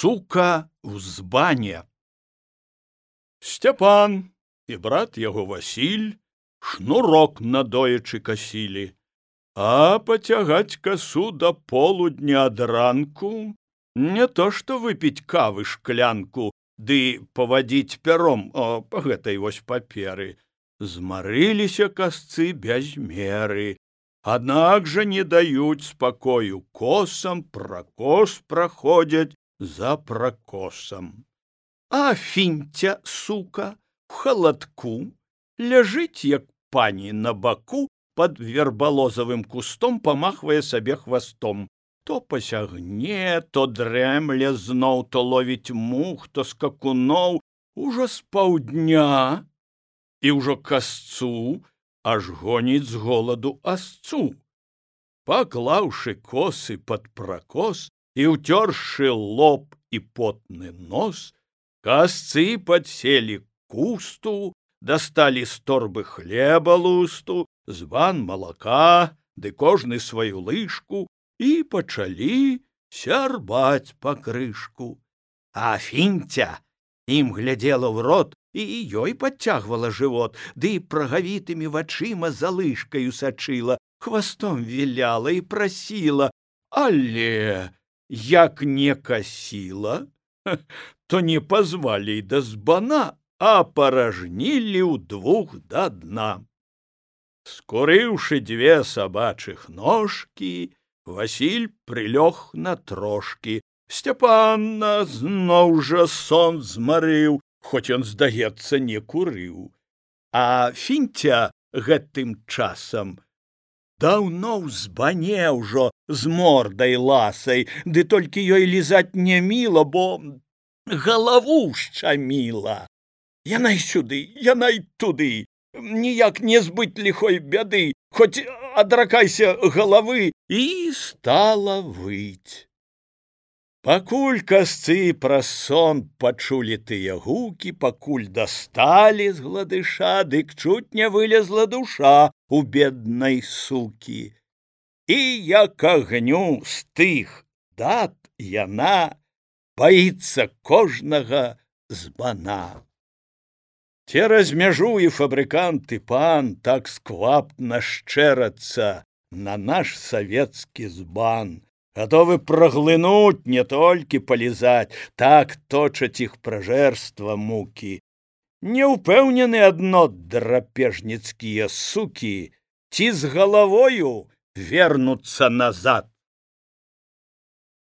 Сука ў збане. Сцяпан і брат яго Васіль шнурок надоечы касілі, а пацягаць касу да полудня ад ранку не то што выпіць кавы шклянку ды павадзіць пяром па гэтай вось паперы. Змарыліся касцы без меры, аднак жа не даюць спакою косам, пракос праходзяць за пракосам. А Фінця, сука, в халадку ляжыць, як пані на баку, пад вербалозавым кустом памахвае сабе хвастом. То пасягне, то дрэмле зноў, то ловіць мух, то скакуноў, ужо з паўдня, і ўжо касцу аж гоніць з голаду асцу. Паклаўшы косы пад пракос і ўцёршы лоб і потны нос, касцы падселі к кусту, дасталі з торбы хлеба лусту, збан малака, ды кожны сваю лыжку, і пачалі сярбаць па крышку. А Фінця ім глядзела ў рот, і ёй падцягвала жывот, ды прагавітымі вачыма за лыжкаю сачыла, хвастом віляла і прасіла, але як не касіла, то не пазвалі да збана, а паражнілі ўдвух да дна. Скурыўшы дзве сабачых ножкі, Васіль прылёг на трошкі. Сцяпана зноў жа сон змарыў, хоць ён, здаецца, не курыў. А Фінця гэтым часам даўно ў збане ўжо з мордай ласай, ды толькі ёй лізаць не міла, бо галаву шчаміла. Яна і сюды, яна і туды, ніяк не збыць ліхой бяды, хоць адракайся галавы, і стала выць. Пакуль касцы праз сон пачулі тыя гукі, пакуль дасталі з гладыша, дык чуць не вылезла душа у беднай сукі. І як агню з тых дат яна баіцца кожнага збана. Цераз мяжу і фабрыкант і пан так сквапна шчэрацца на наш савецкі збан, гатовы праглынуць, не толькі палізаць, так точаць іх пражэрства мукі. Не ўпэўнены адно драпежніцкія сукі, ці з галавою вернуцца назад.